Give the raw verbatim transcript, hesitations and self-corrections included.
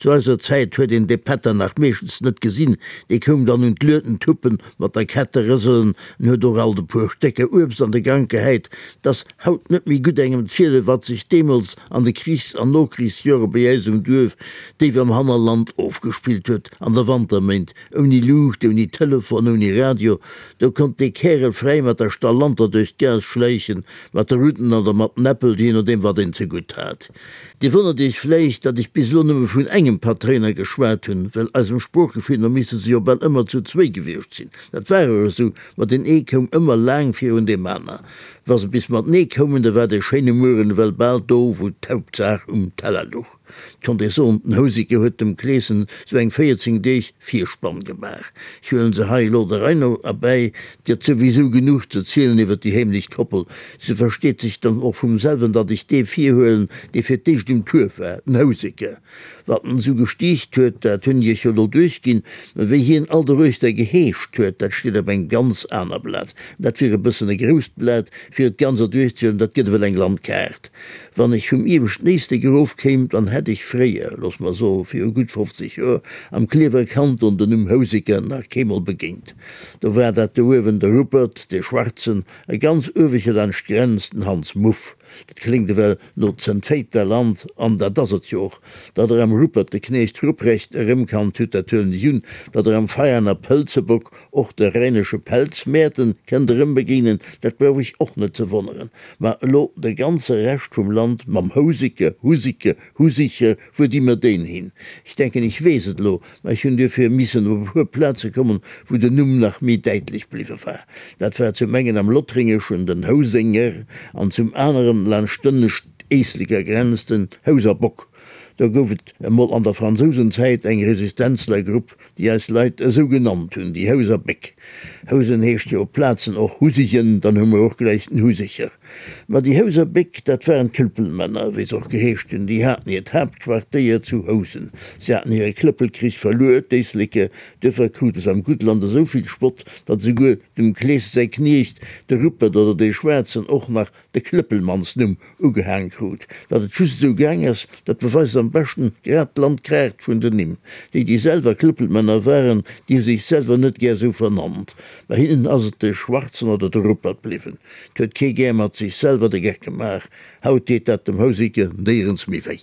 Zu eiser Zäit huet een dee Pätter nach meeschtens net gesinn, dee koum dann un d'Lueden tuppen, mat der Kette rëselen, en huet och alt e puer Stécker Uebst an de Gank gehäit. 't ass haut net méi gutt engem zielen, wat sech deemools an de Krichs an Nokrichsjore bei äis um Duerf, déif am Hannerland, ofgespillt huet, an de Wanterméint, ouni Luucht, ouni Telefon, ouni Radio. Do konnt dee Kärel fräi mat der Stallanter duerch d'Gaass schläichen, mat de Rutten oder mat den Äppel, jee nodeem wat een zegutt hat. Dir wonnert Iech vläicht, datt ech bis elo nëmme vun engem Patréiner geschwat hunn, well eisem Sproochgefill no misste se jo bal ëmmer zu zwéi gewiescht sinn. Dat war och esou, ma deen ee koum ëmmer laang virun deem aner. Wa se bis matenee koumen, da war dee schéine Mueren ewell bal do, wou d'Hauptsaach um Teller luch. 't konnt ee soen, den Houseker huet dem Kleeschen sou eng véierzéng Deeg Virspann gemaach. Ech huelen se hei elo der Rei no erbäi, 't gëtt souwisou genuch ze zielen iwwer déi heemlech Koppel. Sou versteet sech dann och vum selwen, datt ech dee virhuelen, dee fir d'éischt um Tour war, den Houseker. Wat en esou gestiicht huet, dat hunn ech iech jo elo duerchginn, mä wéi hien all doruechter geheescht huet, dat steet op engem ganz aner Blat. Dat wier e bëssen e grousst Blat, fir et ganz erduerchzehuelen, dat gëtt ewell eng Landkaart. Wann ech vum ieweschten Éislek erof kéim, dann hätt ech fréier, looss mer soe viru gutt fofzeg Joer, am Klierfer Kanton den Numm Houseker nach keemol begéint. Do war dat do uewen de Ruppert, dee Schwarzen, a ganz ueweche laanscht d'Grenz den Hans Muff. Dat kléngt ewell no Zëntféiterland, an dat ass et jo och. Datt Der am Rupert de Knecht Ruprecht erëmkannt hutt, dat huelen ech un. Datt Der am Veianer Pëlzebock och de rhänesche Pelzmäerten kënnt erëmbegéinen, dat brauch ech och net ze wonneren. Ma elo de ganze Rescht vum Land mam Houseker, Husiker, Husicher, wuer di mer deen hin? Ech denken, ech weess et elo, ma ech hunn duerfir missen op e puer Plaze kommen, wou den Numm nach méi däitlech bliwwe war. Dat war zum engen am Lothringeschen den Housenger an zum aneren laanscht d'ënnescht Éisleker Grenz den Houserbock. Do gouf et emol an der Fransousenzäit eng Resistenzlergrupp, déi eis Leit esou genannt hunn, déi Houser Béck. Housen heescht jo op Plazen och Husigen, dann hu mer och gläich den Husecher. Ma déi Houser Béck, dat waren d'Klëppelmänner, wéi se och geheescht hunn. Déi haten hiert Haaptquartéier zu Housen. Si haten hire Klëppelkrich verluer, d'Éisleker. Duerfir krute se am Guttland esou vill Spott, datt esouguer dem Klees säi Kniecht, de Ruppert oder dee Schwaarzen, och nach de Klëppelmannsnumm ugehaang krut. Datt et just esou gaang ass, dat beweist am beschten grad d'Landkaart vun den Nimm. Déi, déi selwer Klëppelmänner waren, déi hu sech selwer net gär esou vernannt. Bei hinnen ass et de Schwarzen oder de Ruppert bliwwen. 't huet kee gär mat sech selwer de Geck gemaach. Haut deet dat dem Houseker néierens méi wéi.